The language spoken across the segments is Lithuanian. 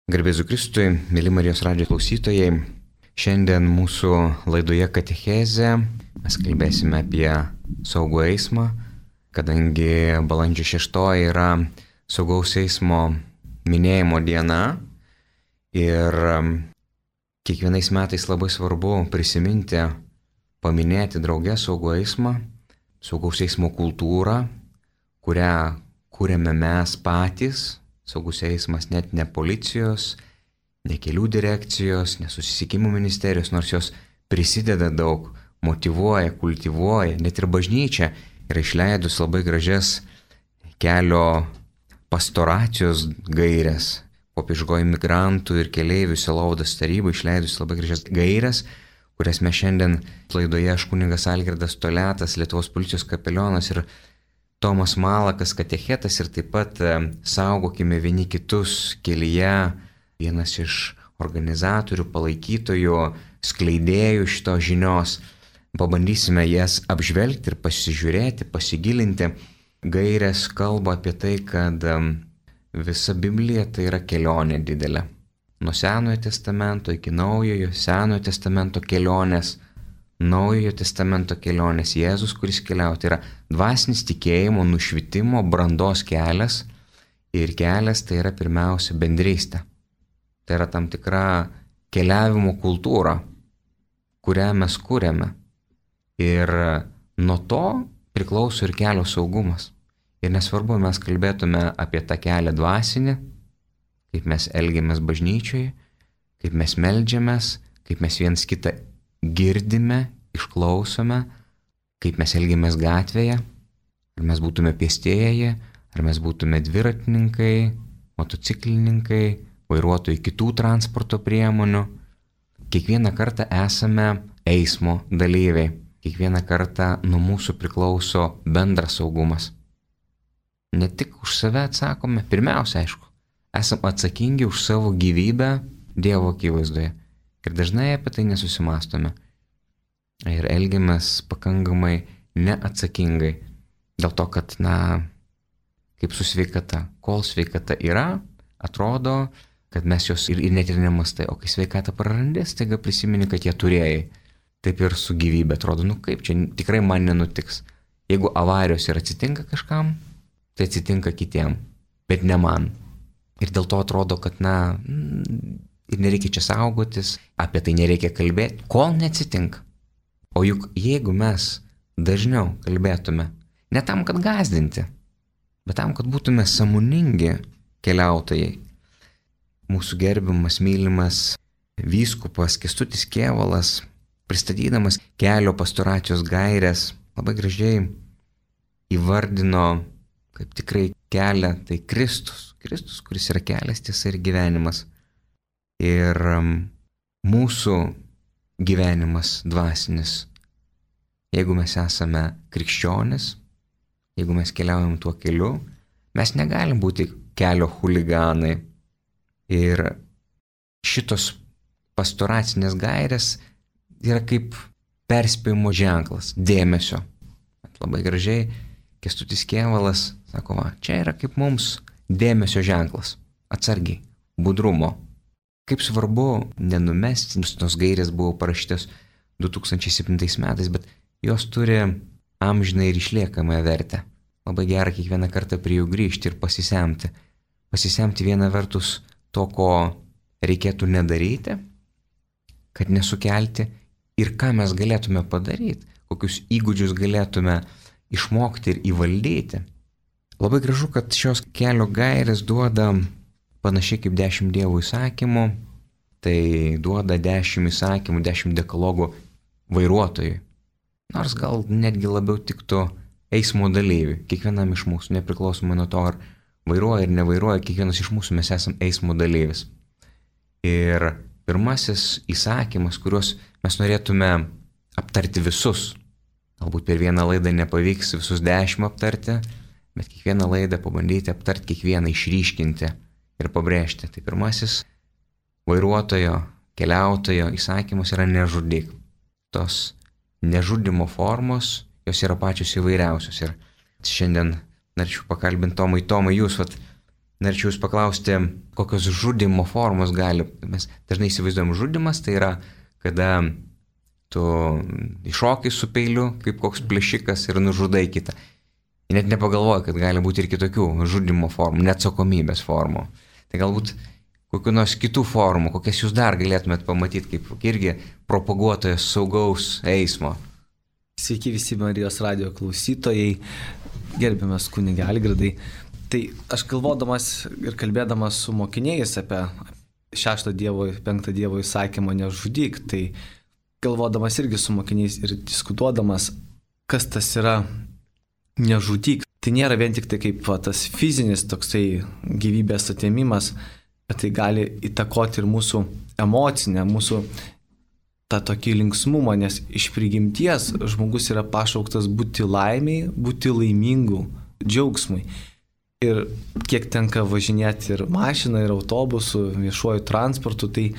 Garbė Jėzui Kristui, mėly Marijos radijo klausytojai, šiandien mūsų laidoje Katechezė mes kalbėsime apie saugų eismą, kadangi balandžio 6 yra saugaus eismo minėjimo diena ir kiekvienais metais labai svarbu prisiminti, paminėti drauge saugų eismą, saugaus eismo kultūrą, kurią kūrėme mes patys. Saugus eismas net ne policijos, ne kelių direkcijos, ne susisiekimo ministerijos, nors jos prisideda daug, motyvuoja, kultivuoja, net ir bažnyčia yra išleidus labai gražias kelio pastoracijos gairias, popiežiškoji migrantų ir keleivių sielovados taryba išleidus labai gražias gairias, kurias mes šiandien laidoje aš kunigas Algirdas Toliatas, Lietuvos policijos kapelionas ir Tomas Malakas, katechetas ir taip pat saugokime vieni kitus kelyje, vienas iš organizatorių, palaikytojų, skleidėjų šitos žinios. Pabandysime jas apžvelgti ir pasižiūrėti, pasigilinti. Gairės kalba apie tai, kad visa Biblija tai yra kelionė didelė. Nuo Senojo testamento iki Naujojo, Senojo testamento kelionės, Naujojo testamento kelionės, Jėzus, kuris keliauja, tai yra dvasinis tikėjimo, nušvitimo, brandos kelias ir kelias tai yra pirmiausia bendrystė. Tai yra tam tikra keliavimo kultūra, kurią mes kūrėme ir nuo to priklauso ir kelio saugumas. Ir nesvarbu, mes kalbėtume apie tą kelią dvasinį, kaip mes elgiamės bažnyčioje, kaip mes meldžiamės, kaip mes viens kitą girdime, išklausome, kaip mes elgiamės gatvėje, ar mes būtume pėstieji, ar mes būtume dviratininkai, motociklininkai, vairuotojai kitų transporto priemonių. Kiekvieną kartą esame eismo dalyviai, kiekvieną kartą nuo mūsų priklauso bendras saugumas. Ne tik už save atsakome, pirmiausia, aišku, esame atsakingi už savo gyvybę Dievo akivaizdoje. Ir dažnai apie tai nesusimastome. Ir elgiamės pakankamai neatsakingai. Dėl to, kad, kaip su sveikata. Kol sveikata yra, atrodo, kad mes jos ir net ir nemastai. O kai sveikata prarandi, staiga prisimeni, kad ją turėjai. Taip ir su gyvybė. Atrodo, kaip čia tikrai man nenutiks. Jeigu avarijos ir atsitinka kažkam, tai atsitinka kitiem. Bet ne man. Ir dėl to atrodo, kad, ir nereikia čia saugotis, apie tai nereikia kalbėti, kol neatsitinka. O juk jeigu mes dažniau kalbėtume, ne tam, kad gąsdinti, bet tam, kad būtume sąmoningi keliautojai. Mūsų gerbiamas, mylimas vyskupas Kęstutis Kėvalas, pristatydamas kelio pastoracijos gaires, labai gražiai įvardino, kaip tikrai kelią, tai Kristus, kuris yra kelias, tiesa ir gyvenimas. Ir mūsų gyvenimas dvasinis, jeigu mes esame krikščionis, jeigu mes keliaujam tuo keliu, mes negalim būti kelio chuliganai. Ir šitos pastoracinės gairės yra kaip perspėjimo ženklas, dėmesio. Labai gražiai Kęstutis Kėvalas sako, čia yra kaip mums dėmesio ženklas, atsargiai, budrumo. Kaip svarbu nenumesti, tos gairės buvo parašytos 2007 metais, bet jos turi amžiną ir išliekamąją vertę. Labai gera kiekvieną kartą prie jų grįžti ir pasisemti. Pasisemti viena vertus to, ko reikėtų nedaryti, kad nesukelti ir ką mes galėtume padaryti, kokius įgūdžius galėtume išmokti ir įvaldyti. Labai gražu, kad šios kelio gairės duoda panašiai kaip 10 Dievo įsakymų, tai duoda 10 įsakymų, 10 dekalogų vairuotojui. Nors gal netgi labiau tiktų eismo dalyviui, kiekvienam iš mūsų, nepriklausomai nuo to, ar vairuoja ir nevairuoja, kiekvienas iš mūsų mes esame eismo dalyvis. Ir pirmasis įsakymas, kuriuos mes norėtume aptarti visus, galbūt per vieną laidą nepavyks visus 10 aptarti, bet kiekvieną laidą pabandyti aptarti, kiekvieną išryškinti ir pabrėžti. Tai pirmasis vairuotojo, keliautojo įsakymas yra nežudyk. Tos nežudimo formos, jos yra pačios įvairiausios. Ir šiandien norėčiau pakalbinti Tomai, jūs norėčiau jūs paklausti, kokios žudimo formos gali. Mes dažnai įsivaizduojam žudimas, tai yra, kada tu iššokai su peiliu, kaip koks plėšikas ir nužudai kitą. Net nepagalvoji, kad gali būti ir kitokių žudimo formų, neatsakomybės formų. Tai galbūt kokių nors kitų formų, kokias jūs dar galėtumėt pamatyti, kaip irgi propaguotojas saugaus eismo. Sveiki visi Marijos radijo klausytojai, gerbiamas kunige Algirdai. Tai aš galvodamas ir kalbėdamas su mokiniais apie 6 Dievo, 5 Dievo įsakymą nežudyk, tai galvodamas irgi su mokiniais ir diskutuodamas, kas tas yra nežudyk. Tai nėra vien tik tai kaip tas fizinis toksai gyvybės atėmimas, bet tai gali įtakoti ir mūsų emocinę, mūsų tą tokį linksmumą, nes iš prigimties žmogus yra pašauktas būti laimiai, būti laimingu, džiaugsmui. Ir kiek tenka važinėti ir mašiną, ir autobusų, viešuoju transportu, tai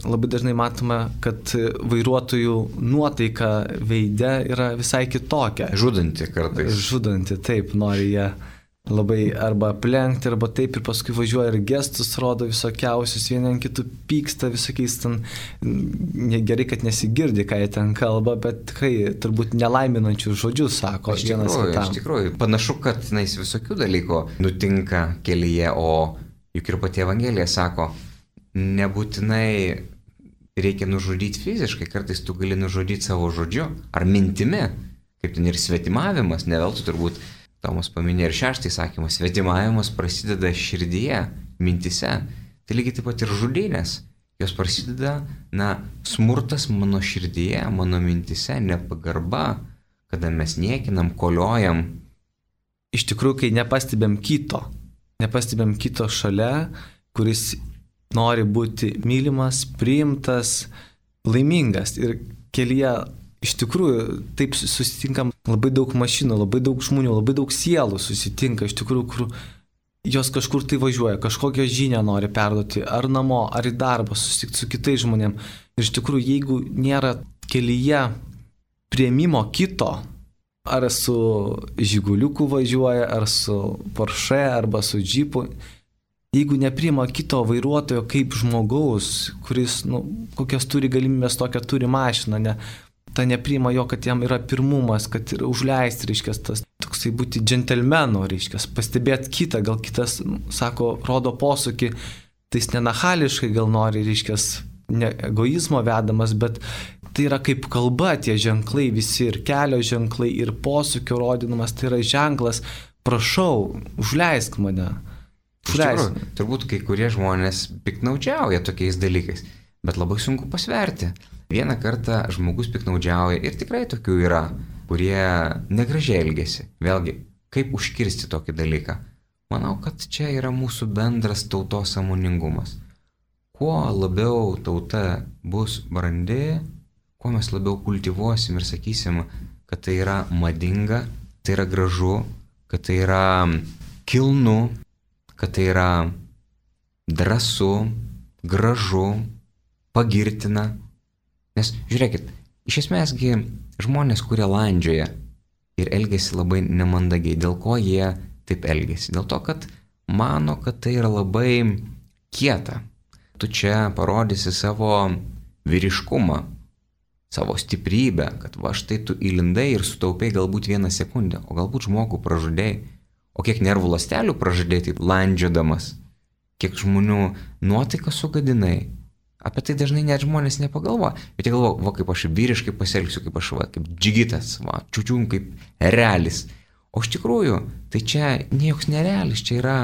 labai dažnai matome, kad vairuotojų nuotaika veide yra visai kitokia. Žudanti kartais. Žudanti, taip, nori jie labai arba aplenkti, arba taip ir paskui važiuoja ir gestus rodo visokiausius, vieni ant kitų pyksta visokiais ten, gerai, kad nesigirdi, ką jie ten kalba, bet tikrai turbūt nelaiminančių žodžių sako vienas kitam. Iš tikrųjų, panašu, kad visokių dalykų nutinka kelyje, o juk ir pati Evangelija sako, nebūtinai reikia nužudyti fiziškai, kartais tu gali nužudyti savo žodžiu ar mintimi, kaip ten ir svetimavimas, ne veltui turbūt Tomas paminėjo ir 6 įsakymą, svetimavimas prasideda širdyje, mintise, tai lygiai taip pat ir žudynės, jos prasideda, smurtas mano širdyje, mano mintise, nepagarba, kada mes niekinam, koliojam. Iš tikrųjų, kai nepastebėm kito šalia, kuris nori būti mylimas, priimtas, laimingas. Ir kelyje iš tikrųjų taip susitinkam labai daug mašinų, labai daug žmonių, labai daug sielų susitinka, iš tikrųjų, kur jos kažkur tai važiuoja, kažkokią žinią nori perduoti, ar namo, ar į darbą, susitikti su kitais žmonėm. Ir iš tikrųjų, jeigu nėra kelyje priėmimo kito, ar su Žiguliuku važiuoja, ar su Porsche, arba su Džipu, jeigu nepriima kito vairuotojo kaip žmogaus, kuris, kokias turi galimybės, tokią turi mašiną, ta nepriima jo, kad jam yra pirmumas, kad yra užleisti, reiškia, tas toksai būti džentelmenu, reiškia, pastebėti kitą, gal kitas, sako, rodo posūkį, tai jis nenachališkai gal nori, reiškia, ne egoizmo vedamas, bet tai yra kaip kalba, tie ženklai visi, ir kelio ženklai, ir posūkio rodinamas, tai yra ženklas, prašau, užleisk mane. Turbūt kai kurie žmonės piknaudžiauja tokiais dalykais, bet labai sunku pasverti. Vieną kartą žmogus piknaudžiauja ir tikrai tokių yra, kurie negražiai elgesi. Vėlgi, kaip užkirsti tokį dalyką? Manau, kad čia yra mūsų bendras tautos sąmoningumas. Kuo labiau tauta bus brandi, kuo mes labiau kultivuosim ir sakysim, kad tai yra madinga, tai yra gražu, kad tai yra kilnu, kad tai yra drąsu, gražu, pagirtina. Nes žiūrėkit, iš esmėsgi žmonės, kurie landžioja ir elgesi labai nemandagiai, dėl ko jie taip elgesi? Dėl to, kad mano, kad tai yra labai kieta. Tu čia parodysi savo vyriškumą, savo stiprybę, kad va štai tu įlindai ir sutaupai galbūt 1 sekundę, o galbūt žmogų pražudėjai. O kiek nervų ląstelių pražudėjai taip landžiodamas, kiek žmonių nuotaiką sugadinai. Apie tai dažnai net žmonės nepagalvoja, bet jie galvoja, va kaip aš vyriškai pasielgsiu, kaip aš kaip džigitas, čiučium kaip erelis. O iš tikrųjų, tai čia niekoks nerealis, čia yra,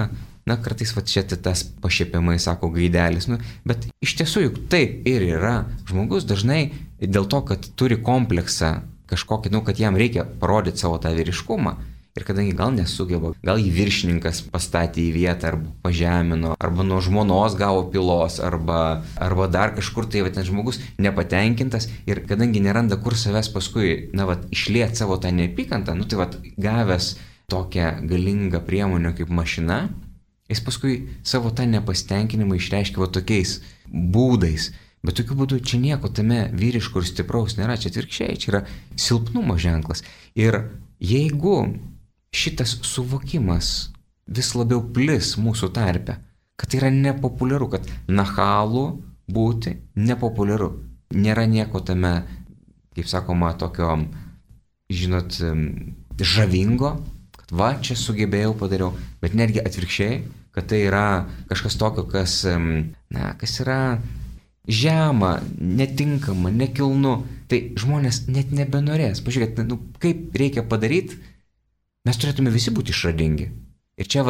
kartais va čia tas pašiepiamai sako gaidelis, bet iš tiesų juk taip ir yra. Žmogus dažnai dėl to, kad turi kompleksą kažkokį, kad jam reikia parodyti savo tą vyriškumą. Ir kadangi gal nesugeba, gal jį viršininkas pastatė į vietą arba pažemino, arba nuo žmonos gavo pylos, arba dar kažkur tai ten žmogus nepatenkintas ir kadangi neranda kur savęs paskui, išliet savo tą neapykantą, gavęs tokią galingą priemonę kaip mašina, jis paskui savo tą nepasitenkinimą išreiškia tokiais būdais. Bet tokiu būdu čia nieko tame vyriško ir stipraus nėra, čia atvirkščiai, čia yra silpnumo ženklas. Ir jeigu šitas suvokimas vis labiau plis mūsų tarpe, kad tai yra nepopuliaru, kad nachalų būti nepopuliaru. Nėra nieko tame, kaip sakoma, tokio, žinot, žavingo, kad va, čia sugebėjau, padariau, bet netgi atvirkščiai, kad tai yra kažkas tokio, kas yra žema, netinkama, nekilnu, tai žmonės net nebenorės. Pažiūrėkite, kaip reikia padaryti, mes turėtume visi būti išradingi. Ir čia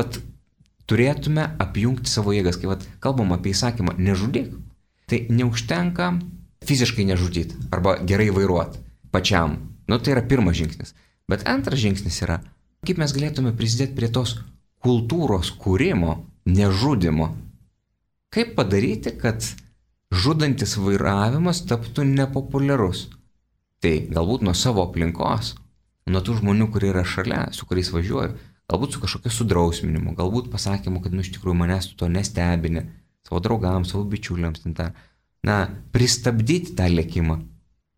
turėtume apjungti savo jėgas, kai kalbam apie įsakymą nežudyk, tai neužtenka fiziškai nežudyti arba gerai vairuoti pačiam. Tai yra pirmas žingsnis. Bet antras žingsnis yra, kaip mes galėtume prisidėti prie tos kultūros kūrimo, nežudimo. Kaip padaryti, kad žudantis vairavimas taptų nepopuliarus. Tai galbūt nuo savo aplinkos, nuo tų žmonių, kurie yra šalia, su kuriais važiuoju, galbūt su kažkokiu sudrausminimu, galbūt pasakymu, kad iš tikrųjų manęs to nestebini, savo draugams, savo bičiuliams, pristabdyti tą lėkimą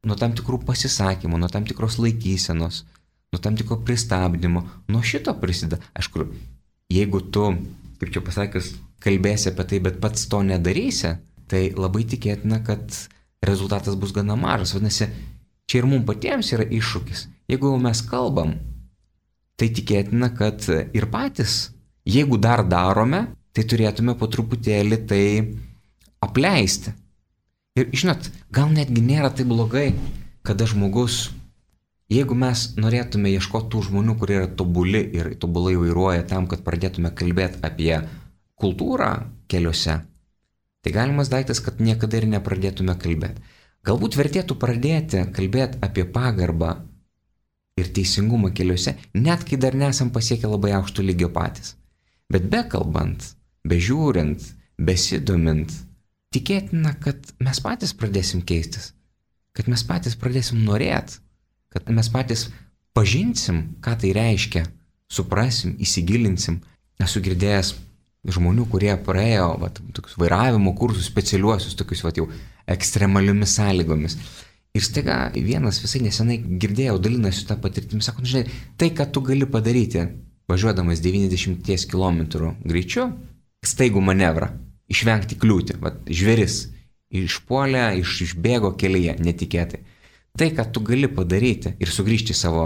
nuo tam tikrų pasisakymų, nuo tam tikros laikysenos, nuo tam tikro pristabdymo, nuo šito prisideda. Aišku, jeigu tu, kaip čia pasakius, kalbėsi apie tai, bet pats to nedarysi, tai labai tikėtina, kad rezultatas bus gana mažas. Vadinasi, čia ir mums patiems yra iššūkis. Jeigu mes kalbam, tai tikėtina, kad ir patys, jeigu dar darome, tai turėtume po truputėlį tai apleisti. Ir žinot, gal netgi nėra tai blogai, kada žmogus, jeigu mes norėtume ieškoti tų žmonių, kurie yra tobuli ir tobulai vairuoja tam, kad pradėtume kalbėti apie kultūrą keliuose, tai galimas daiktas, kad niekada ir nepradėtume kalbėti. Galbūt vertėtų pradėti kalbėti apie pagarbą ir teisingumą keliuose, net kai dar nesam pasiekę labai aukšto lygio patys. Bet bekalbant, bežiūrint, besidomint, tikėtina, kad mes patys pradėsim keistis, kad mes patys pradėsim norėti, kad mes patys pažinsim, ką tai reiškia, suprasim, įsigilinsim. Esu girdėjęs žmonių, kurie praėjo tokius vairavimo kursus specialiuosius, tokius jau ekstremaliomis sąlygomis. Ir staiga vienas visai nesenai girdėjau, dalinasi tą patirtimį, sako, žinai, tai, ką tu gali padaryti, važiuodamas 90 km greičiu, staigų manevrą, išvengti kliūtį, žvėris išpuolė, išbėgo kelyje netikėtai. Tai, ką tu gali padaryti ir sugrįžti į savo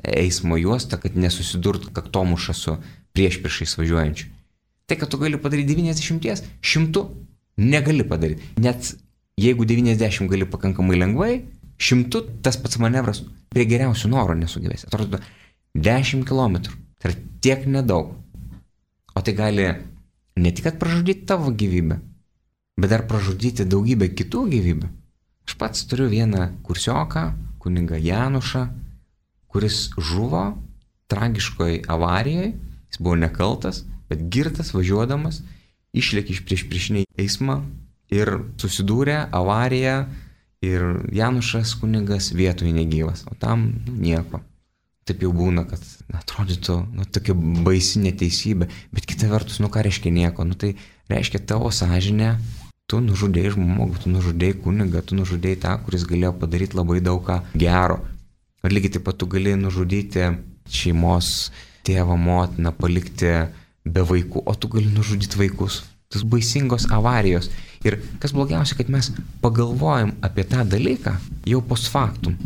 eismo juostą, kad nesusidurtų kaktomuša su priešpriešais važiuojančiu. Tai, ką tu gali padaryti 90, 100 negali padaryti. Net jeigu 90 gali pakankamai lengvai, 100 tas pats manevras prie geriausių norų nesugebės. Atrodo, 10 km. Tai yra tiek nedaug. O tai gali ne tik kad pražudyti tavo gyvybę, bet dar pražudyti daugybę kitų gyvybių. Aš pats turiu vieną kursioką, kunigą Janušą, kuris žuvo tragiškoj avarijoje, jis buvo nekaltas, bet girtas važiuodamas, išlėkė iš priešpriešinį eismą ir susidūrė avariją ir Janušas kunigas vietoje negyvas, o tam nieko. Taip jau būna, kad atrodytų tokia baisi neteisybė, bet kita vertus, ką reiškia nieko? Tai reiškia tavo sąžinė, tu nužudėjai žmogų, tu nužudėjai kunigą, tu nužudėjai tą, kuris galėjo padaryti labai daug ką gero. Ir lygiai taip pat tu gali nužudyti šeimos tėvą, motiną, palikti be vaikų, o tu gali nužudyti vaikus. Tas baisingos avarijos. Ir kas blogiausia, kad mes pagalvojam apie tą dalyką jau post factum.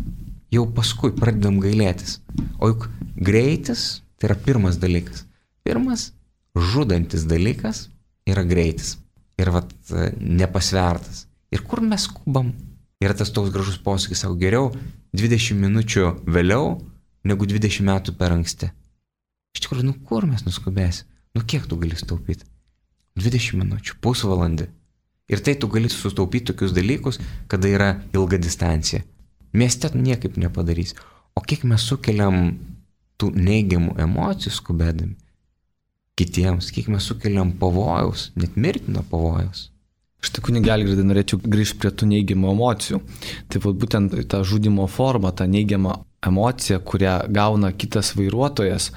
Jau paskui pradedam gailėtis. O juk greitis tai yra pirmas dalykas. Pirmas žudantis dalykas yra greitis. Ir nepasvertas. Ir kur mes skubam? Yra tas toks gražus posakis, sako, geriau 20 minučių vėliau negu 20 metų per anksti. Iš tikrųjų, kur mes nuskubėsim? Kiek tu gali sutaupyti? 20 minučių, pusvalandį. Ir tai tu gali sutaupyti tokius dalykus, kada yra ilga distancija. Mieste niekaip nepadarys. O kiek mes sukeliam tų neigiamų emocijų skubėdami kitiems, kiek mes sukeliam pavojaus, net mirtino pavojaus. Štai kunige Algirdai, norėčiau grįžti prie tų neigiamų emocijų. Taip būtent ta žudimo forma, ta neigiama emocija, kurią gauna kitas vairuotojas,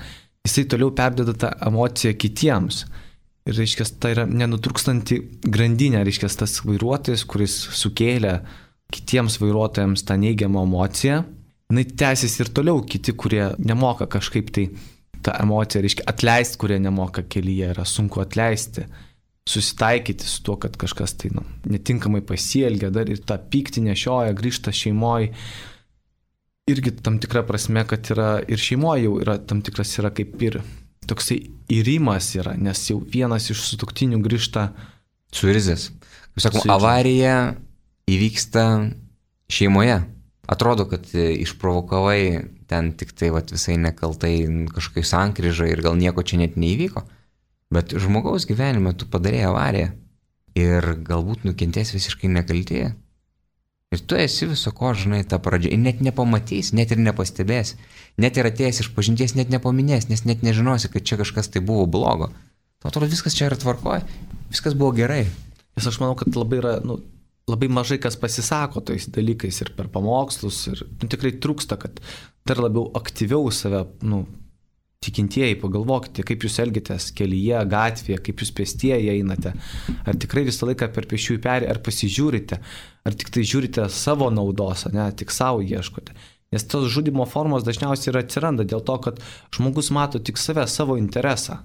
jisai toliau perdeda tą emociją kitiems. Ir, reiškia, tai yra nenutrūkstanti grandinė, reiškia, tas vairuotojas, kuris sukėlė kitiems vairuotojams tą neigiamą emociją, jinai tęsiasi ir toliau, kiti, kurie nemoka kažkaip tai ta emocija, reiškia atleisti, kurie nemoka kelyje, yra sunku atleisti, susitaikyti su tuo, kad kažkas tai netinkamai pasielgia, dar ir tą pyktį nešioja, grįžta šeimoje. Irgi tam tikra prasme, kad yra ir šeimoje jau yra tam tikras yra kaip ir toksai įrimas yra, nes jau vienas iš sutuoktinių grįžta suirzęs. Kaip sakom, avarija įvyksta šeimoje. Atrodo, kad išprovokavai ten tik tai visai nekaltai kažkokiai sankryžai ir gal nieko čia net neįvyko. Bet žmogaus gyvenime tu padarėjai avariją ir galbūt nukentės visiškai nekaltėje. Ir tu esi viso ko, žinai, tą pradžią. Ir net nepamatys, net ir nepastebės. Net ir atėjęs iš pažinties net nepaminės, nes net nežinosi, kad čia kažkas tai buvo blogo. Tu atrodo, viskas čia yra tvarkoje, viskas buvo gerai. Nes aš manau, kad labai yra, labai mažai kas pasisako tais dalykais ir per pamokslus ir tikrai trūksta, kad dar labiau aktyviau save, tikintieji, pagalvokite, kaip jūs elgitės kelyje, gatvėje, kaip jūs pėstieji einate, ar tikrai visą laiką per pėsčiųjų perėją, ar pasižiūrite, ar tik tai žiūrite savo naudos, tik savo ieškote. Nes tos žudimo formos dažniausiai ir atsiranda dėl to, kad žmogus mato tik save, savo interesą.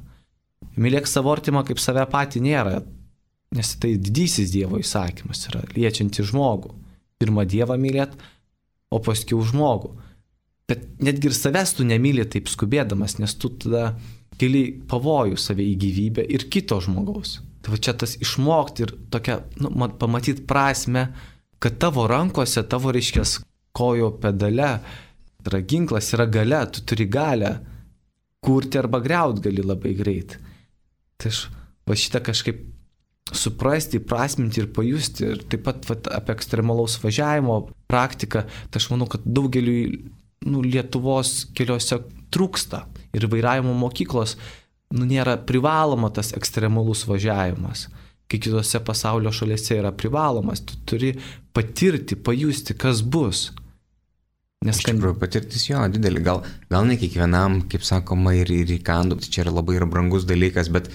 Mylėk savo artimą kaip save patį nėra, nes tai didysis Dievo įsakymas yra, liečianti žmogų. Pirmą Dievą mylėt, o paskiau žmogų. Bet netgi ir savęs tu nemyli taip skubėdamas, nes tu tada keli pavojų save į gyvybę ir kito žmogaus. Tai čia tas išmokti ir tokia, pamatyti prasme, kad tavo rankose, tavo reiškės kojo pedale yra ginklas, yra galia, tu turi galią kurti arba griaut gali labai greit. Tai aš šitą kažkaip suprasti, prasminti ir pajusti ir taip pat apie ekstremalaus važiavimo praktiką, tai aš manau, kad daugeliui Lietuvos keliuose trūksta ir vairavimo mokyklos nėra privaloma tas ekstremalus važiavimas. Kai kitose pasaulio šalyse yra privalomas, tu turi patirti, pajusti, kas bus. Nes iš tikrųjų patirtis jo didelį, gal ne kiekvienam, kaip sakoma, ir įkandu, tai čia yra labai ir brangus dalykas, bet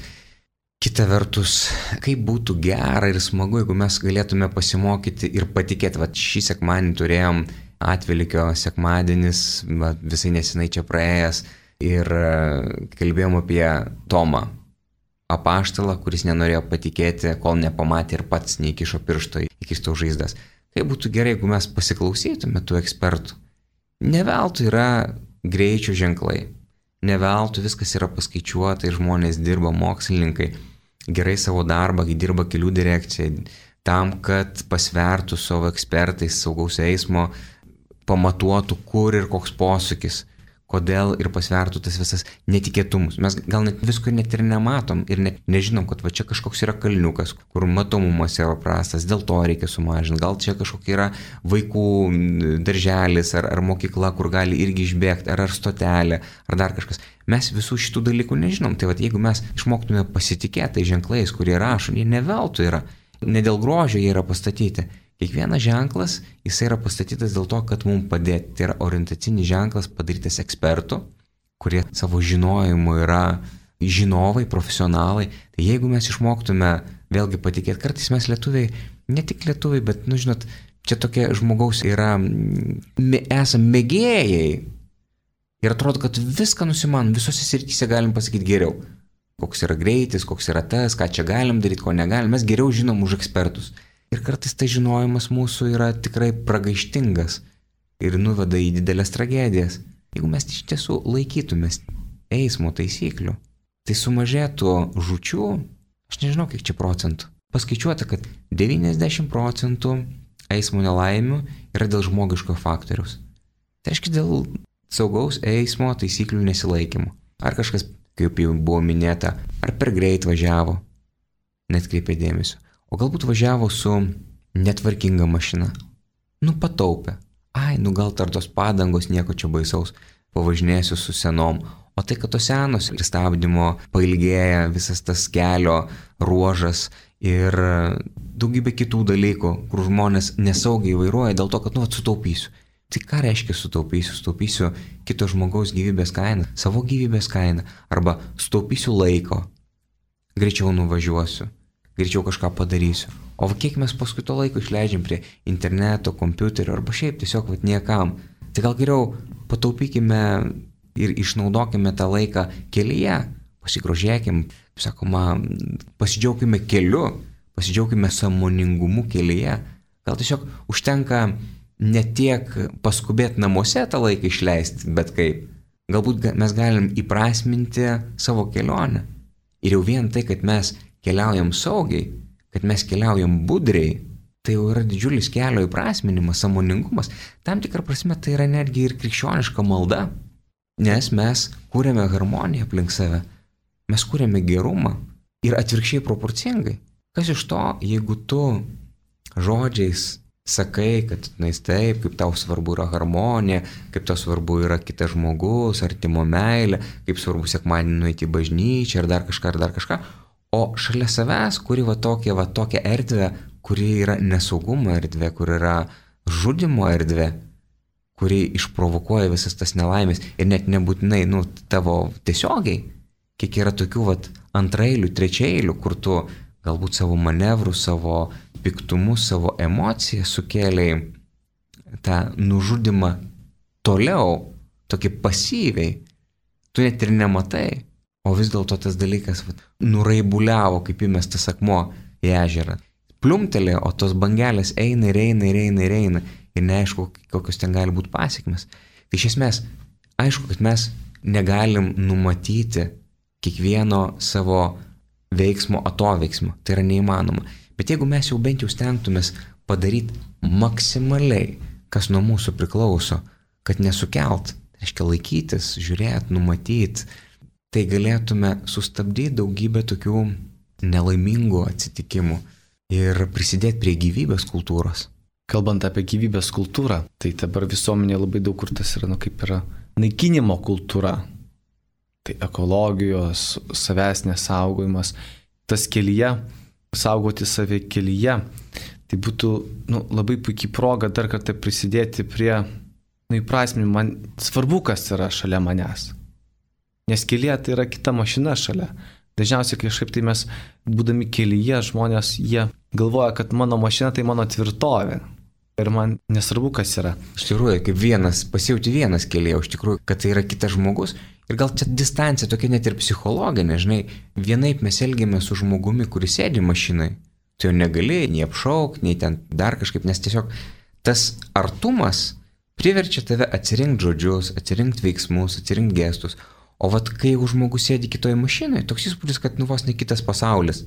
kita vertus, kaip būtų gera ir smagu, jeigu mes galėtume pasimokyti ir patikėti. Šį sekmadienį turėjom Atvelykio sekmadienis, visai nesenai čia praėjęs ir kalbėjom apie Tomą, apaštalą, kuris nenorėjo patikėti, kol nepamatė ir pats neįkišo piršto į Kristaus žaizdas. Kaip būtų gerai, jeigu mes pasiklausytume tų ekspertų. Ne veltui yra greičio ženklai, ne veltui viskas yra paskaičiuota ir žmonės dirba, mokslininkai gerai savo darbą, dirba kelių direkcijai, tam, kad pasvertų savo ekspertais saugaus eismo, pamatuotų, kur ir koks posūkis, kodėl ir pasvertų tas visas netikėtumus. Mes gal net visko net ir nematom ir nežinom, kad čia kažkoks yra kalniukas, kur matomumas yra prastas, dėl to reikia sumažinti. Gal čia kažkokia yra vaikų darželis ar mokykla, kur gali irgi išbėgti, ar stotelė, ar dar kažkas. Mes visų šitų dalykų nežinom. Tai jeigu mes išmoktume pasitikėti ženklais, kurie rašo, jie ne veltui yra, ne dėl grožio jie yra pastatyti. Kiekvienas ženklas, jis yra pastatytas dėl to, kad mums padėti. Tai yra orientacinis ženklas padarytas ekspertų, kurie savo žinojimu yra žinovai, profesionalai. Tai jeigu mes išmoktume vėlgi patikėti, kartais mes lietuviai, ne tik lietuviai, bet, žinot, čia tokie žmogaus yra, esame mėgėjai. Ir atrodo, kad viską nusimanom, visose srityse galim pasakyti geriau. Koks yra greitis, koks yra tas, ką čia galim daryti, ko negalim. Mes geriau žinom už ekspertus. Ir kartais tai žinojimas mūsų yra tikrai pragaištingas ir nuveda į didelės tragedijas. Jeigu mes iš tiesų laikytumės eismo taisyklių, tai sumažėtų žūčių, aš nežinau kiek čia procentų. Paskaičiuota, kad 90% eismo nelaimių yra dėl žmogiško faktoriaus. Tai reiškia dėl saugaus eismo taisyklių nesilaikymo. Ar kažkas, kaip jau buvo minėta, ar per greit važiavo, neatkreipė dėmesio. O galbūt važiavo su netvarkinga mašina. Pataupė. Gal tar tos padangos nieko čia baisaus. Pavažinėsiu su senom. O tai, kad tos senos ir stabdymo pailgėja visas tas kelio ruožas ir daugybė kitų dalykų, kur žmonės nesaugiai vairuoja dėl to, kad sutaupysiu. Tai ką reiškia sutaupysiu? Sutaupysiu kito žmogaus gyvybės kainą, savo gyvybės kainą, arba sutaupysiu laiko, greičiau nuvažiuosiu. Greičiau kažką padarysiu. O kiek mes paskui to laiko išleidžiam prie interneto, kompiuterio arba šiaip tiesiog niekam. Tai gal geriau pataupykime ir išnaudokime tą laiką kelyje, pasigrožėkim, kaip sakoma, pasidžiaugkime keliu, pasidžiaugkime sąmoningumu kelyje. Gal tiesiog užtenka ne tiek paskubėti namuose tą laiką išleisti, bet kaip. Galbūt mes galim įprasminti savo kelionę. Ir jau vien tai, kad mes keliaujam saugiai, kad mes keliaujam budriai, tai jau yra didžiulis kelio įprasminimas, sąmoningumas. Tam tikrą prasme tai yra netgi ir krikščioniška malda, nes mes kūrėme harmoniją aplink save, mes kūrėme gerumą ir atvirkščiai proporcingai. Kas iš to, jeigu tu žodžiais sakai, kad taip, kaip tau svarbu yra harmonija, kaip tau svarbu yra kitas žmogus, artimo meilė, kaip svarbu sekmadienį nueiti į bažnyčią ar dar kažką, o šalia savęs, kuri tokia erdvė, kuri yra nesaugumo erdvė, kur yra žudimo erdvė, kuri išprovokuoja visas tas nelaimės ir net nebūtinai, tavo tiesiogiai, kiek yra tokių antraeilių, trečiaeilių, kur tu galbūt savo manevrų, savo piktumus, savo emocijas sukėlei tą nužudimą toliau, tokį pasyviai, tu net ir nematai, o vis dėlto tas dalykas nuraibuliavo kaip įmestas akmuo į ežerą. Pliumtelė, o tos bangelės eina ir neaišku, kokios ten gali būti pasekmės. Tai iš esmės, aišku, kad mes negalim numatyti kiekvieno savo veiksmo atoveiksmo, tai yra neįmanoma. Bet jeigu mes jau bent jau stengtumės padaryti maksimaliai, kas nuo mūsų priklauso, kad nesukelt, tai reiškia laikytis, žiūrėti, numatyti, tai galėtume sustabdyti daugybę tokių nelaimingų atsitikimų ir prisidėti prie gyvybės kultūros. Kalbant apie gyvybės kultūrą, tai dabar visuomenėje labai daug kur tas yra, kaip yra naikinimo kultūra. Tai ekologijos, savęs nesaugojimas, tas kelyje, saugoti save kelyje, tai būtų labai puikiai proga dar kartą prisidėti prie įprasminimo. Man svarbu, kas yra šalia manęs. Nes kelyje tai yra kita mašina šalia. Dažniausiai kažkaip tai mes, būdami kelyje, žmonės, jie galvoja, kad mano mašina tai mano tvirtovė. Ir man nesvarbu, kas yra. Iš tikrųjų, kaip pasijauti vienas kelyje, iš tikrųjų, kad tai yra kitas žmogus. Ir gal čia distancija tokia net ir psichologinė, žinai, vienaip mes elgiamės su žmogumi, kuris sėdi mašinai. Tu jo negali nei apšaukti, nei ten dar kažkaip, nes tiesiog tas artumas priverčia tave atsirinkti žodžius, atsirinkti veiksmus, atsirinkti gestus. O kai jau žmogus sėdi kitoje mašinoje, toks įspūdis, kad vos ne kitas pasaulis.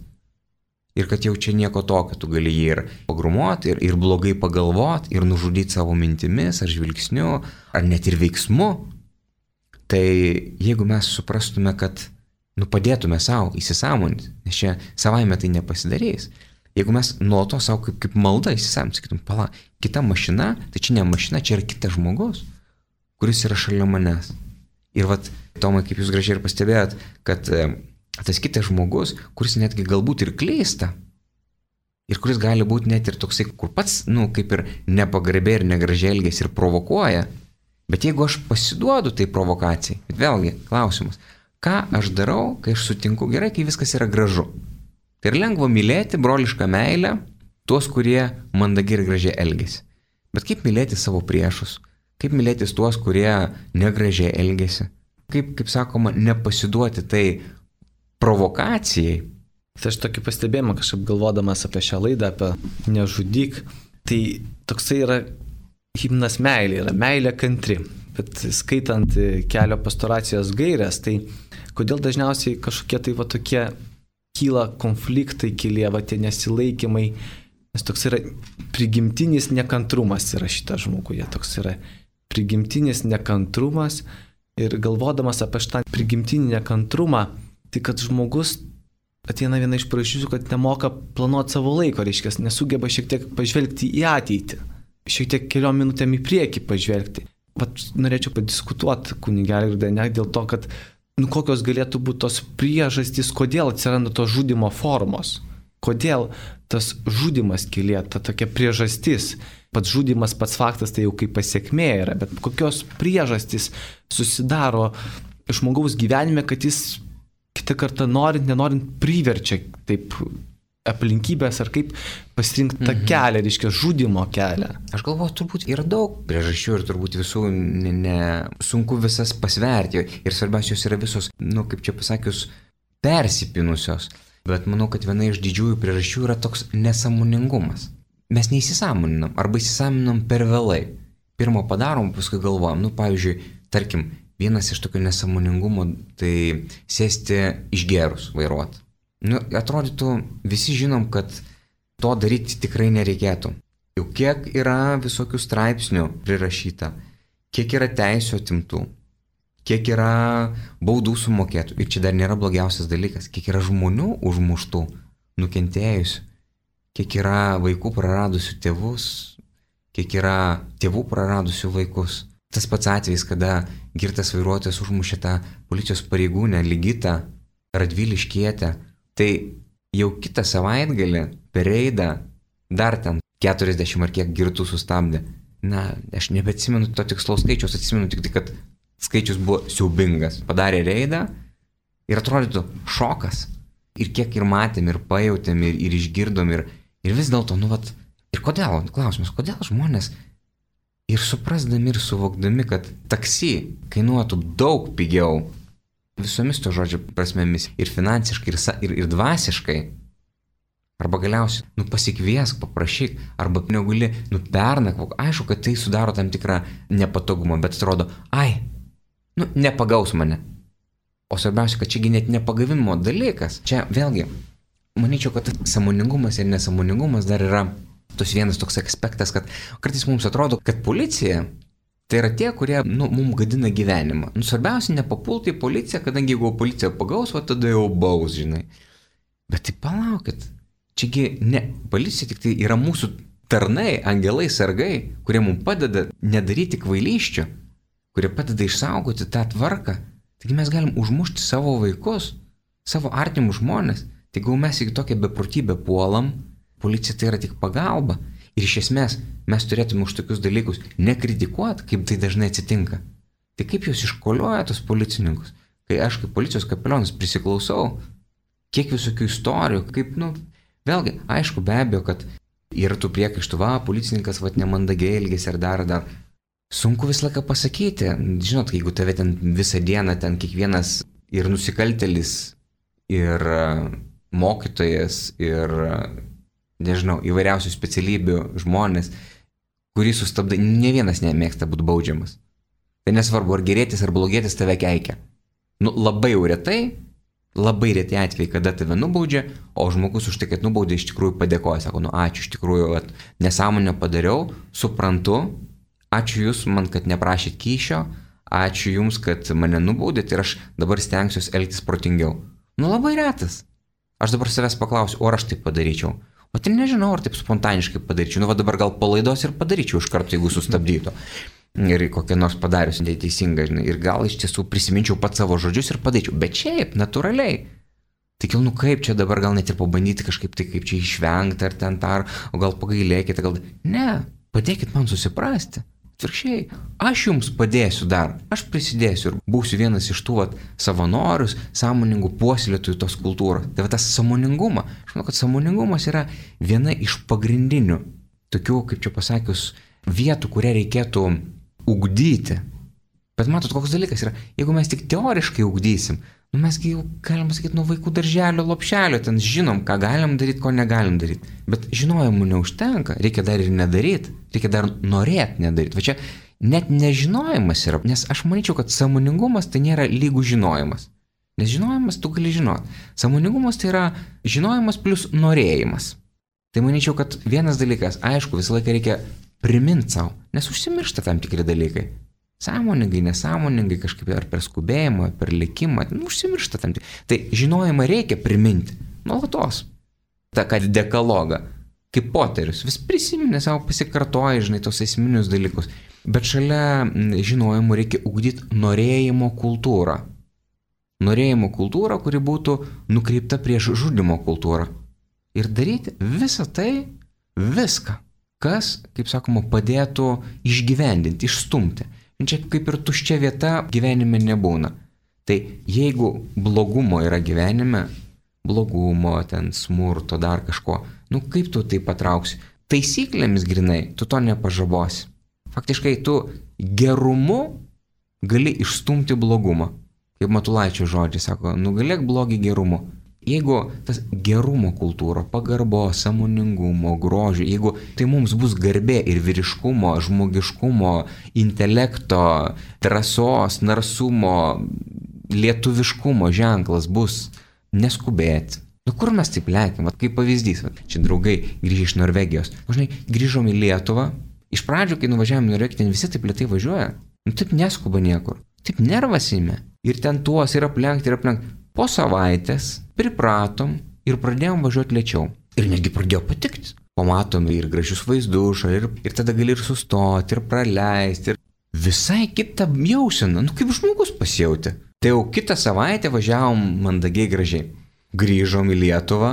Ir kad jau čia nieko tokio, tu gali jį ir pagrumuoti, ir blogai pagalvoti, ir nužudyti savo mintimis, ar žvilgsniu, ar net ir veiksmu. Tai jeigu mes suprastume, kad padėtume savo įsisąmoninti, nes čia savaime tai nepasidarys. Jeigu mes nuolatos savo kaip malda įsisąmoninti, sakytum, kita mašina, tai čia ne mašina, čia yra kitas žmogus, kuris yra šalia manęs. Ir Tomai, kaip jūs gražiai ir pastebėjot, kad tas kitas žmogus, kuris netgi galbūt ir klysta, ir kuris gali būti net ir toksai, kur pats, kaip ir nepagarbiai ir negražiai elgiasi ir provokuoja, bet jeigu aš pasiduodu tai provokacijai, bet vėlgi, klausimas, ką aš darau, kai aš sutinku gerai, kai viskas yra gražu. Tai yra lengva mylėti brolišką meilę tuos, kurie mandagiai ir gražiai elgiasi. Bet kaip mylėti savo priešus? Kaip mylėtis tuos, kurie negražiai elgesi? Kaip sakoma, nepasiduoti tai provokacijai? Tai aš tokį pastebėjimą kažkaip galvodamas apie šią laidą, apie nežudyk, tai toksai yra himnas meilė, yra meilė kantri. Bet skaitant kelio pastoracijos gairias, tai kodėl dažniausiai kažkokie tai tokie kyla konfliktai, tie nesilaikymai, nes toks yra prigimtinis nekantrumas yra šitas žmoguje, toks yra prigimtinis nekantrumas ir galvodamas apie šitą prigimtinį nekantrumą, tai kad žmogus ateina viena iš priežasčių, kad nemoka planuoti savo laiko, reiškia, nesugeba šiek tiek pažvelgti į ateitį, šiek tiek keliom minutėm į priekį pažvelgti. Norėčiau padiskutuoti kunigelį ir ne dėl to, kad kokios galėtų būti tos priežastys, kodėl atsiranda tos žudimo formos, kodėl tas žudimas kelyje, ta tokia priežastis. Pats žudimas, pats faktas tai jau kaip pasiekmė yra, bet kokios priežastys susidaro žmogaus gyvenime, kad jis kitą kartą norint, nenorint priverčia taip aplinkybės ar kaip pasirinkti tą kelią, reiškia žudimo kelią. Aš galvoju, turbūt yra daug priežasčių ir turbūt visų sunku visas pasverti. Ir svarbiausios yra visos, kaip čia pasakius, persipinusios. Bet manau, kad viena iš didžiųjų priežasčių yra toks nesąmoningumas. Mes neįsisąmoninam arba įsisąmoninam per vėlai. Pirmą padarom, paskui galvojam. Pavyzdžiui, tarkim, vienas iš tokio nesąmoningumo tai sėsti išgerus vairuoti. Atrodytų, visi žinom, kad to daryti tikrai nereikėtų. Jau kiek yra visokių straipsnių prirašyta, kiek yra teisių atimtų, kiek yra baudų sumokėtų. Ir čia dar nėra blogiausias dalykas, kiek yra žmonių užmuštų, nukentėjusių, kiek yra vaikų praradusių tėvus, kiek yra tėvų praradusių vaikus. Tas pats atvejis, kada girtas vairuotojas užmušė tą policijos pareigūnę Ligitą Radviliškietę. Tai jau kitą savaitgalį per reidą dar ten 40 ar kiek girtų sustabdė. Aš nebeatsimenu to tikslaus skaičiaus, atsimenu tik tai, kad skaičius buvo siaubingas. Padarė reidą ir atrodytų šokas. Ir kiek ir matėm, ir pajautėm, ir išgirdom, ir vis dėlto, ir kodėl, klausimas, kodėl žmonės ir suprasdami, ir suvokdami, kad taksi kainuotų daug pigiau, visomis to žodžio prasmėmis, ir finansiškai, ir dvasiškai, arba galiausiai, pasikviesk, paprašyk, arba negali, pernakvok. Aišku, kad tai sudaro tam tikrą nepatogumą, bet atrodo, nepagaus mane. O svarbiausia, kad čiagi net nepagavimo dalykas. Čia vėlgi, manyčiau, kad sąmoningumas ir nesąmoningumas dar yra tos vienas toks aspektas, kad kartais mums atrodo, kad policija tai yra tie, kurie, mums gadina gyvenimą. Svarbiausia, nepapulti į policiją, kadangi jeigu policija pagaus, tada jau baus, žinai. Bet tai palaukit, čiagi ne, policija tik tai yra mūsų tarnai, angelai, sargai, kurie mums padeda nedaryti kvailysčių, kurie padeda išsaugoti tą tvarką. Taigi mes galim užmušti savo vaikus, savo artimus žmonės. Taigi mes į tokią beprotybę puolam, policija tai yra tik pagalba. Ir iš esmės mes turėtume už tokius dalykus nekritikuoti, kaip tai dažnai atsitinka. Tai kaip jūs iškolioja tos policininkus? Kai aš kaip policijos kapelionas prisiklausau, kiek visokių istorijų, kaip, vėlgi, aišku, be abejo, kad yra tų priekaištų, policininkas nemandagiai elgėsi ar dar. Sunku visą laiką pasakyti. Žinot, jeigu tave ten visą dieną, ten kiekvienas ir nusikaltėlis, ir mokytojas, ir nežinau, įvairiausių specialybių žmonės, kurį sustabdai, ne vienas nemėgsta būti baudžiamas. Tai nesvarbu, ar gerėtis, ar blogėtis tave keikia. Labai jau retai, labai retai atvejai, kada tave nubaudžia, o žmogus už tai, kad nubaudė, iš tikrųjų padėkoja. Sako, ačiū, iš tikrųjų, nesąmonę padariau, suprantu, ačiū jūs man, kad neprašėt kyšio, ačiū jums, kad mane nubaudėt ir aš dabar stengsiuosi elgtis protingiau. Labai retas. Aš dabar savęs paklausiu, ar aš taip padaryčiau. O tai nežinau, ar taip spontaniškai padaryčiau. Dabar gal palaidos ir padaryčiau iš karto, jeigu sustabdytų. Ir kokią nors padarius neteisingą, žinai. Ir gal iš tiesų prisiminčiau pat savo žodžius ir padaryčiau. Bet šiaip, natūraliai. Tai kaip čia dabar gal net ir pabandyti kažkaip tai, kaip čia išvengti ar ten tar, o gal pagailėkite, gal... Ne, padėkit man susiprasti. Atvirkščiai, aš jums padėsiu dar, aš prisidėsiu ir būsiu vienas iš tų savanorius, sąmoningų puoselėtojų tos kultūros. Tai tas sąmoningumas, aš manau, kad sąmoningumas yra viena iš pagrindinių tokių, kaip čia pasakius, vietų, kurią reikėtų ugdyti. Bet matot, koks dalykas yra, jeigu mes tik teoriškai ugdysim, mesgi jau, galim sakyti, nuo vaikų darželio, lopšelio, ten žinom, ką galim daryti, ko negalim daryti. Bet žinojimų neužtenka, reikia dar ir nedaryti, reikia dar norėti nedaryti. Va čia net nežinojimas yra, nes aš manyčiau, kad sąmoningumas tai nėra lygų žinojimas. Nes žinojimas tu gali žinoti. Sąmoningumas tai yra žinojimas plus norėjimas. Tai manyčiau, kad vienas dalykas, aišku, visą laiką reikia priminti savo, nes užsimiršta tam tikri dalykai. Sąmoningai, nesąmoningai, kažkaip ar per skubėjimą, per likimą, užsimiršta tam tik. Tai žinojimą reikia priminti, nuolatos. Ta, kad dekalogą, kaip Poterius, vis prisiminė savo, pasikartoja, žinai, tos esminius dalykus. Bet šalia žinojimų reikia ugdyti norėjimo kultūrą. Norėjimo kultūrą, kuri būtų nukreipta prieš žudimo kultūrą. Ir daryti visą tai, viską, kas, kaip sakoma, padėtų išgyvendinti, išstumti. Čia kaip ir tuščia vieta gyvenime nebūna. Tai jeigu blogumo yra gyvenime, blogumo, ten smurto, dar kažko. Nu kaip tu tai patrauksi? Taisyklėmis grinai, tu to nepažabosi. Faktiškai tu gerumu gali išstumti blogumą. Kaip Matulaičio žodžiai sako, nugalėk blogį gerumu. Jeigu tas gerumo kultūra, pagarbo, sąmoningumo, grožio, jeigu tai mums bus garbė ir vyriškumo, žmogiškumo, intelekto, drąsos, narsumo, lietuviškumo ženklas bus neskubėti. Nu kur mes taip lekiam, kaip pavyzdys, čia draugai grįžę iš Norvegijos. Žinai, grįžom į Lietuvą, iš pradžių, kai nuvažiavome į Norvegiją, ten visi taip lėtai važiuoja. Nu taip neskuba niekur, taip nervas įmė. Ir ten tuos ir aplenkti. Po savaitės pripratom ir pradėjom važiuoti lėčiau. Ir netgi pradėjo patikti. Pamatom ir gražius vaizdus, ir tada gali ir sustoti, ir praleisti. Ir visai kitą jauseną, nu kaip žmogus pasijautė. Tai jau kitą savaitę važiavom mandagiai gražiai. Grįžom į Lietuvą,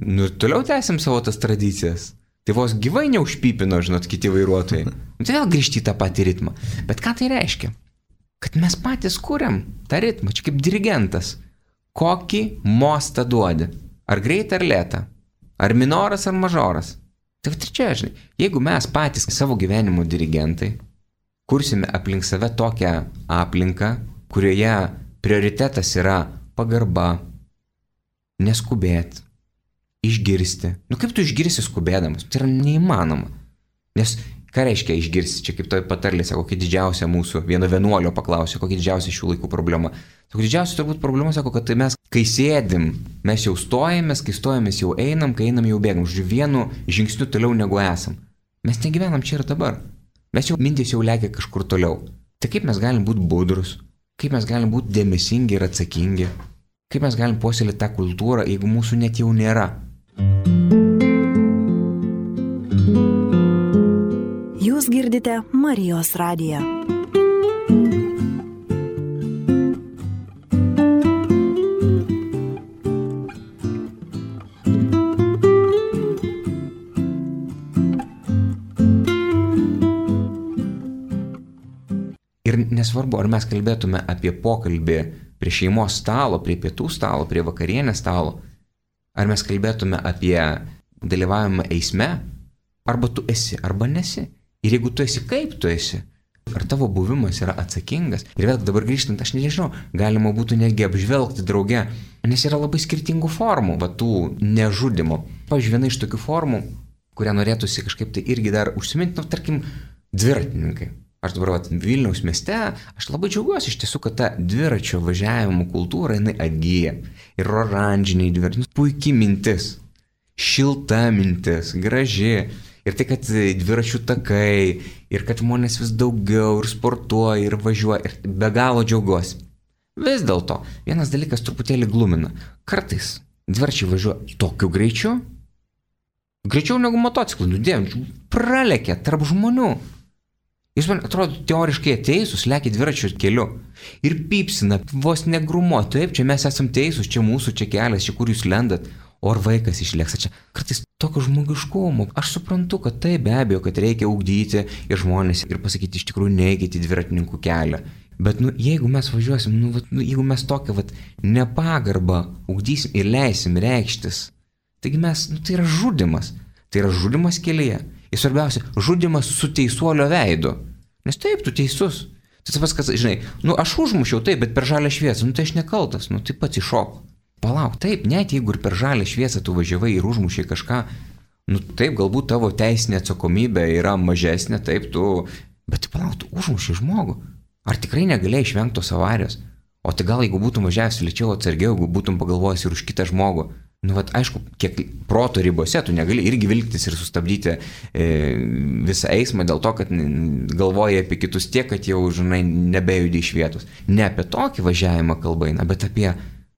nu ir toliau tęsim savo tas tradicijas. Tai vos gyvai neužpypino, žinot, kiti vairuotojai. Nu tai vėl grįžti į tą patį ritmą. Bet ką tai reiškia? Kad mes patys kuriam tą ritmą, čia kaip dirigentas. Kokį mostą duodi? Ar greitą, ar lėtą? Ar minoras, ar mažoras? Tai va čia, žinai, jeigu mes patys savo gyvenimo dirigentai kursime aplink save tokią aplinką, kurioje prioritetas yra pagarba, neskubėti, išgirsti. Nu kaip tu išgirsi skubėdamas? Tai yra neįmanoma. Nes ką reiškia išgirsti? Čia kaip toj patarlė, sako, kokia didžiausia mūsų, vieno vienuolio paklausė, kokia didžiausia šių laikų problema. Sako, didžiausia turbūt problema, sako, kad tai mes, kai sėdim, mes jau stojamės, kai stojamės jau einam, kai einam jau bėgam. Žodžiu, vienu žingsniu toliau negu esam. Mes negyvenam čia ir dabar. Mes jau mintis jau lekia kažkur toliau. Tai kaip mes galim būti budrus? Kaip mes galim būti dėmesingi ir atsakingi? Kaip mes galim puoselėti tą kultūrą, jeigu mūsų net jau nėra? Jūs girdite Marijos radiją. Ir nesvarbu, ar mes kalbėtume apie pokalbį prie šeimos stalo, prie pietų stalo, prie vakarienės stalo, ar mes kalbėtume apie dalyvavimą eisme, arba tu esi, arba nesi. Ir jeigu tu esi, kaip tu esi, ar tavo buvimas yra atsakingas. Ir vėl dabar grįžtant, aš nežinau, galima būtų netgi apžvelgti drauge, nes yra labai skirtingų formų, va tų nežudimų. Pavyzdžiui, viena iš tokių formų, kurią norėtųsi kažkaip tai irgi dar užsiminti, nu, tarkim, dviratininkai. Aš dabar Vilniaus mieste, aš labai džiaugiuosi iš tiesų, kad ta dviračio važiavimo kultūra, jinai atgyja. Ir oranžiniai dviračiai, puikiai mintis, šilta mintis, graži. Ir tai, kad dviračių takai, ir kad žmonės vis daugiau ir sportuoja, ir važiuoja, ir be galo džiaugiuosi. Vis dėlto, vienas dalykas truputėlį glumina. Kartais dviračiai važiuoja tokiu greičiu, greičiau negu motociklai, nudėjom, pralekia tarp žmonių. Jūs man atrodo, teoriškai teisūs, lekia dviračių keliu ir pypsina, vos negrumo, taip, čia mes esam teisūs, čia mūsų, čia kelias, čia kur jūs lendat. O ar vaikas išlėks, čia kartais tokio žmogiškumo. Aš suprantu, kad tai be abejo, kad reikia ugdyti ir žmonės ir pasakyti iš tikrųjų neikite dviratininkų kelią. Bet jeigu mes važiuosim, jeigu mes tokią nepagarbą ugdysim ir leisim reikštis, taigi mes, tai yra žudimas. Tai yra žudimas kelyje. Ir svarbiausia, žudimas su teisuolio veidu. Nes taip, tu teisus. Tai tas, kad, žinai, aš užmušiau taip, bet per žalią šviesą, tai aš nekaltas, tai pats iššok. Palauk, taip, net jeigu ir per žalią šviesą tu važiavai ir užmušiai kažką, taip, galbūt tavo teisinė atsakomybė yra mažesnė, taip, bet palauk, tu užmušiai žmogų. Ar tikrai negalėjai išvengti tos avarijos? O tai gal jeigu būtum važiavęs lėčiau atsargiau, jeigu būtum pagalvojęs ir už kitą žmogų, aišku, kiek proto ribose tu negali irgi vilktis ir sustabdyti visą eismą dėl to, kad galvoji apie kitus tiek, kad jau, žinai, nebejudi iš vietos. Ne apie tokį važiavimą kalba eina, bet apie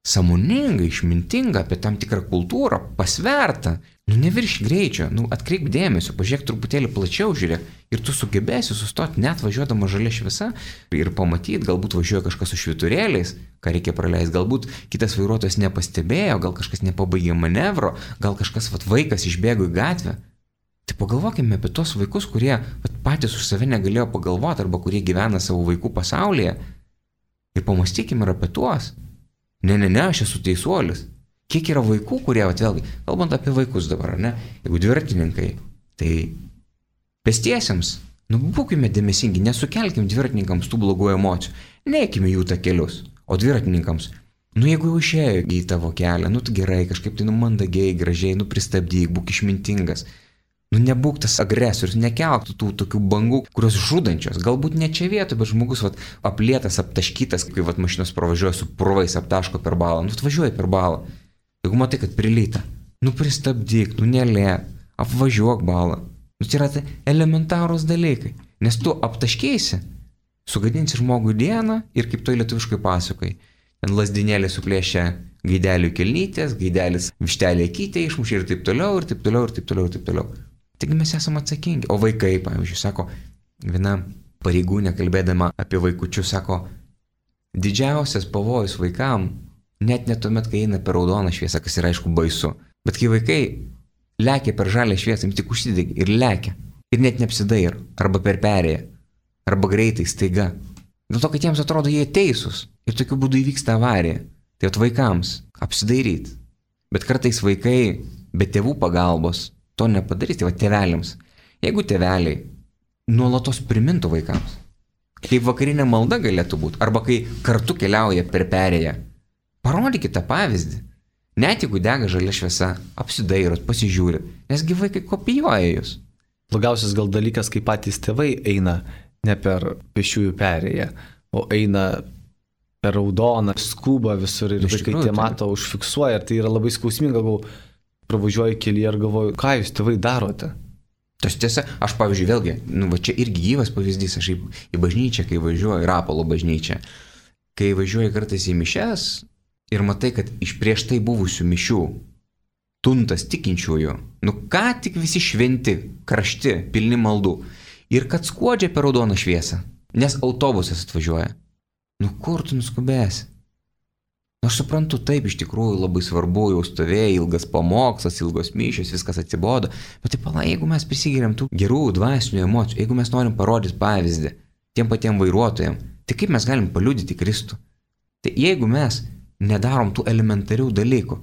sąmoningą, išmintingą, apie tam tikrą kultūrą, pasvertą. Neviršk greičio, atkreip dėmesio, pažiūrėk truputėlį plačiau, žiūrėk, ir tu sugebėsi sustoti net važiuodama žalia šviesa ir pamatyti, galbūt važiuoja kažkas su švyturėliais, ką reikia praleisti, galbūt kitas vairuotojas nepastebėjo, gal kažkas nepabaigė manevro, gal kažkas vaikas išbėgo į gatvę. Tai pagalvokime apie tos vaikus, kurie patys už save negalėjo pagalvoti arba kurie gyvena savo vaikų pasaulyje ir pamastykime ir apie tuos. Ne, aš esu teisuolis. Kiek yra vaikų, kurie, vėlgi, kalbant apie vaikus dabar, ne, jeigu dviratininkai, tai pėstiesiems, būkime dėmesingi, nesukelkim dviratininkams tų blogų emocijų, neikime jų takelius, o dviratininkams, jeigu jau išėjo į tavo kelią, tu gerai, kažkaip tai mandagiai, gražiai, pristabdyk, būk išmintingas, nebūk tas agresorius, nekelk tų tokių bangų, kurios žudančios, galbūt ne čia vietoje, bet žmogus aplėtas, aptaškytas, kai mašinos pravažiuoja su purvais, aptaško per balą, atvažiuoja per balą. Jeigu matai, kad prilyta, pristabdyk, nelėk, apvažiuok balą. Tai yra elementarūs dalykai, nes tu aptaškėsi, sugadinsi žmogui dieną ir kaip toj lietuviškai pasakai. Ten lasdinėlė suplėšia gaidelių kelnytės, gaidelis vištelė kytė išmušė ir taip toliau, ir taip toliau, ir taip toliau, ir taip toliau. Taigi mes esame atsakingi. O vaikai, pavyzdžiui, sako, viena pareigūnė kalbėdama apie vaikučius, sako, didžiausias pavojus vaikam, net tuomet, kai eina per raudoną šviesą, kas yra aišku baisu, bet kai vaikai lekia per žalę šviesą, tik užsidegi ir lekia, ir net neapsidairo, arba per perėją, arba greitai, staiga. Dėl to, kad jiems atrodo, jie teisūs ir tokiu būdu įvyksta avarija. Tai vaikams apsidairyti. Bet kartais vaikai be tėvų pagalbos to nepadarys, tai tėveliams. Jeigu tėveliai nuolatos primintų vaikams, kaip vakarinė malda galėtų būti, arba kai kartu keliauja per perėją, parodykite tą pavyzdį. Net jeigu dega žalia šviesa, apsidairot, pasižiūrit, nesgi vaikai kopijuoja jūs. Blogiausias gal dalykas, kai patys tėvai eina ne per pėsčiųjų perėją, o eina per raudoną, skuba visur ir vaikai tie mato, užfiksuoja, ir tai yra labai skausminga, gal pravažiuoju kelyje ir galvoju, ką jūs tėvai darote? Tas tiesa, aš pavyzdžiui vėlgi, čia irgi gyvas pavyzdys, aš į bažnyčią, kai važiuoju, į Rapalo bažnyčią, kai važiuoju kartais į mišias ir matai, kad iš prieš tai buvusių mišių tuntas tikinčiųjų, ką tik visi šventi, karšti, pilni maldų, ir kad skuodžia per raudoną šviesą, nes autobusas atvažiuoja. Kur tu nuskubėsi? Aš suprantu, taip, iš tikrųjų labai svarbu, jau stovėjo ilgas pamokslas, ilgos mišios, viskas atsibodo, bet taip, jeigu mes prisigiriam tų gerų dvasinių emocijų, jeigu mes norim parodyti pavyzdį tiem patiem vairuotojam, tai kaip mes galim paliudyti Kristų? Tai jeigu mes nedarom tų elementarių dalykų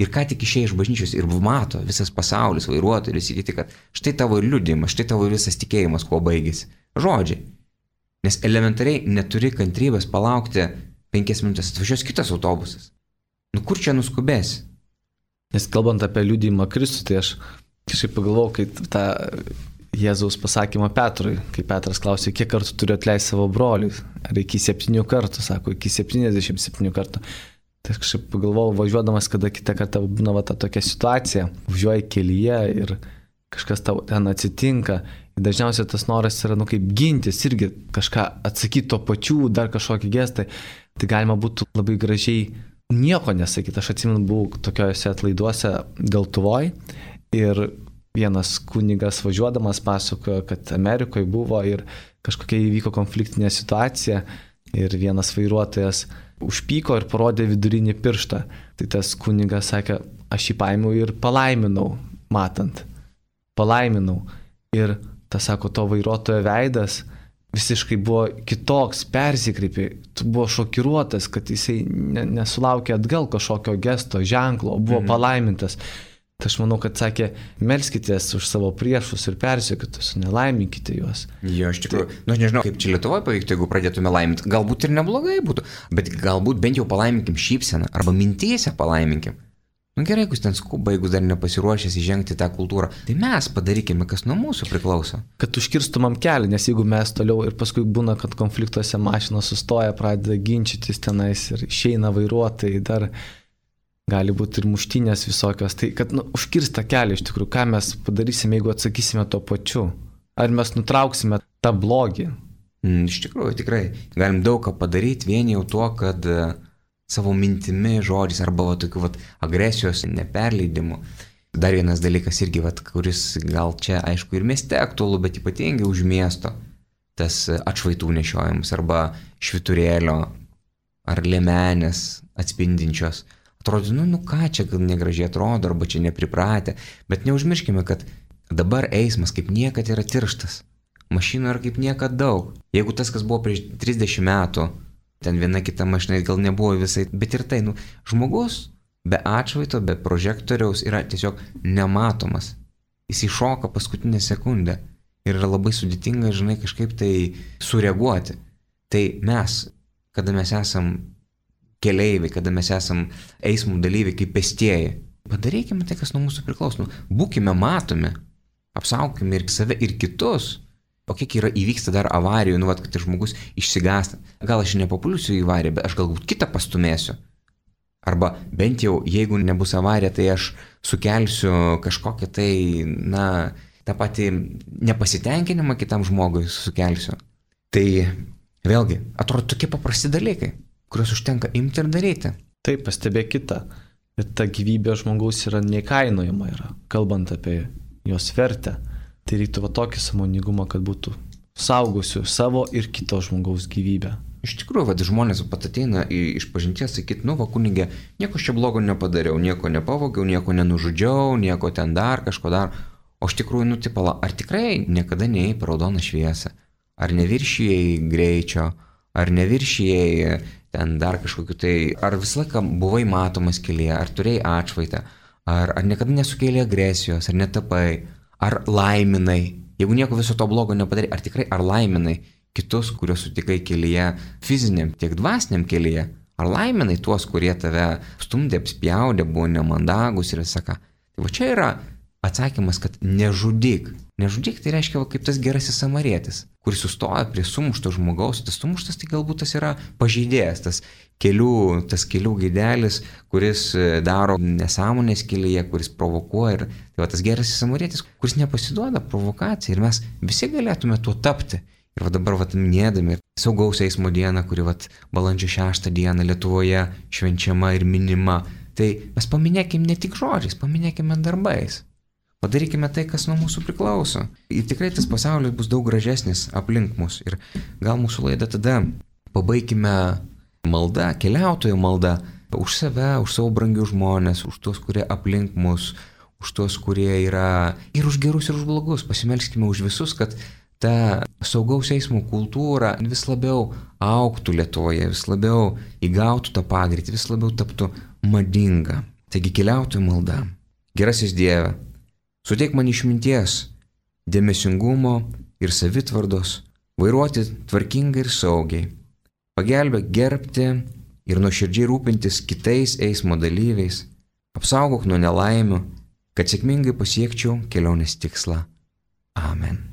ir ką tik išėjai iš bažnyčios ir mato visas pasaulis, vairuotojai, visi kiti, kad štai tavo liudijimas, štai tavo visas tikėjimas, kuo baigėsi. Žodžiai. Nes elementariai neturi kantrybės palaukti 5 minutės, atvažiuos kitas autobusas. Kur čia nuskubėsi? Nes kalbant apie liudijimą Kristų, tai aš kažkaip pagalvojau, kai tą Jėzaus pasakymą Petrui, kai Petras klausė, kiek kartų turiu atleisti savo broliui, ar iki 7 kartų, sako, iki 77 kartų. Tai aš kažkaip pagalvojau, važiuodamas, kada kitą kartą būna ta tokia situacija, važiuoji kelyje ir kažkas tau ten atsitinka. Ir dažniausiai tas noras yra, kaip gintis, irgi kažką atsakyti to pačiu, dar kažkokį gestą. Tai galima būtų labai gražiai nieko nesakyti. Aš atsimenu, buvau tokiuose atlaiduose Deltuvoj ir vienas kunigas važiuodamas pasakojo, kad Amerikoje buvo ir kažkokia įvyko konfliktinė situacija ir vienas vairuotojas užpyko ir parodė vidurinį pirštą. Tai tas kunigas sakė, aš jį paėmiau ir palaiminau, matant. Palaiminau. Ir tas, sako, to vairuotojo veidas visiškai buvo kitoks, persikreipė, tu buvo šokiruotas, kad jisai nesulaukė atgal kažkokio gesto, ženklo, buvo palaimintas. Tai aš manau, kad sakė, melskitės už savo priešus ir persekiotus, nelaiminkite juos. Jo, iš tikrųjų, aš nežinau, kaip čia Lietuvoje pavyktų, jeigu pradėtume laiminti. Galbūt ir neblogai būtų, bet galbūt bent jau palaiminkim šypseną, arba mintyse palaiminkim. Gerai, jeigu ten skuba, jeigu dar nepasiruošęs įžengti tą kultūrą, tai mes padarykime, kas nuo mūsų priklauso. Kad užkirstumam kelią, nes jeigu mes toliau ir paskui būna, kad konfliktuose mašinos sustoja, pradeda ginčytis tenais ir išeina vairuotojai, dar gali būti ir muštynės visokios, tai kad užkirsta kelią iš tikrųjų, ką mes padarysime, jeigu atsakysime tuo pačiu. Ar mes nutrauksime tą blogį? Iš tikrųjų, tikrai. Galim daug ką padaryti vien jau tuo, kad savo mintimi, žodžiais arba tokių agresijos neperleidimų. Dar vienas dalykas irgi, kuris gal čia aišku ir mieste aktualu, bet ypatingai už miesto, tas atšvaitų nešiojimas arba švyturėlio ar liemenės atspindinčios. Atrodo, ką čia gal negražiai atrodo arba čia nepripratę, bet neužmirškime, kad dabar eismas kaip niekad yra tirštas. Mašinų yra kaip niekad daug. Jeigu tas, kas buvo prieš 30 metų, ten viena kita mašina gal nebuvo visai, bet ir tai, žmogus be atšvaito, be prožektoriaus yra tiesiog nematomas. Jis įšoka paskutinę sekundę ir yra labai sudėtinga, žinai, kažkaip tai sureaguoti. Tai mes, kada mes esam keleiviai, kada mes esam eismo dalyviai kaip pėstieji, padarykime tai, kas nuo mūsų priklauso. Būkime matomi, apsaugokime ir save, ir kitus. O kiek yra įvyksta dar avarijų, kad žmogus išsigąsta. Gal aš nepapulsiu į avariją, bet aš galbūt kitą pastumėsiu. Arba bent jau, jeigu nebus avarija, tai aš sukelsiu kažkokią tai, tą patį nepasitenkinimą kitam žmogui sukelsiu. Tai vėlgi, atrodo tokie paprasti dalykai, kuriuos užtenka imti ir daryti. Taip, pastebėk kitą. Bet ta gyvybė žmogaus yra neįkainojama, kalbant apie jos vertę. Tai reiktų tokį sąmoningumą, kad būtų saugusių savo ir kito žmogaus gyvybę. Iš tikrųjų, žmonės pat ateina iš pažinties sakyti, kunigė, nieko čia blogo nepadariau, nieko nepavogiau, nieko nenužudžiau, nieko ten dar, kažko dar. O iš tikrųjų, ar tikrai niekada neėjai per raudoną šviesą? Ar neviršijai greičio? Ar neviršijai ten dar kažkokiu tai? Ar visą laiką buvai matomas kelyje? Ar turėjai atšvaitą? Ar niekada nesukėlė agresijos? Ar netapai? Ar laiminai? Jeigu nieko viso to blogo nepadarai, ar tikrai laiminai kitus, kuriuos sutikai kelyje, fiziniam, tiek dvasiniam kelyje? Ar laiminai tuos, kurie tave stumdė, apspjaudė, buvo nemandagus ir visą ką? Tai čia yra atsakymas, kad nežudyk. Nežudyk tai reiškia kaip tas gerasis samarietis, kuris sustoja prie sumušto žmogaus. Tas sumuštas tai galbūt tas yra pažeidėjas, tas kelių gaidelis, kuris daro nesąmonės kelyje, kuris provokuoja. Ir tai tas gerasis samarietis, kuris nepasiduoda provokacijai. Ir mes visi galėtume tuo tapti. Ir dabar minėdami saugaus eismo dieną, kuri balandžio 6 dieną Lietuvoje švenčiama ir minima, tai mes paminėkime ne tik žodžiais, paminėkime darbais. Padarykime tai, kas nuo mūsų priklauso. Ir tikrai tas pasaulis bus daug gražesnis aplink mus. Ir gal mūsų laidą tada pabaikime malda, keliautojo malda, už save, už savo brangius žmonės, už tuos, kurie aplink mus, už tuos, kurie yra ir už gerus, ir už blogus. Pasimelskime už visus, kad ta saugaus eismo kultūra vis labiau augtų Lietuvoje, vis labiau įgautų tą pagreitį, vis labiau taptų madinga. Taigi keliautojų malda. Gerasis Dieve, suteik man išminties, dėmesingumo ir savitvardos, vairuoti tvarkingai ir saugiai. Pagelbėk gerbti ir nuoširdžiai rūpintis kitais eismo dalyviais. Apsaugok nuo nelaimių, kad sėkmingai pasiekčiau kelionės tikslą. Amen.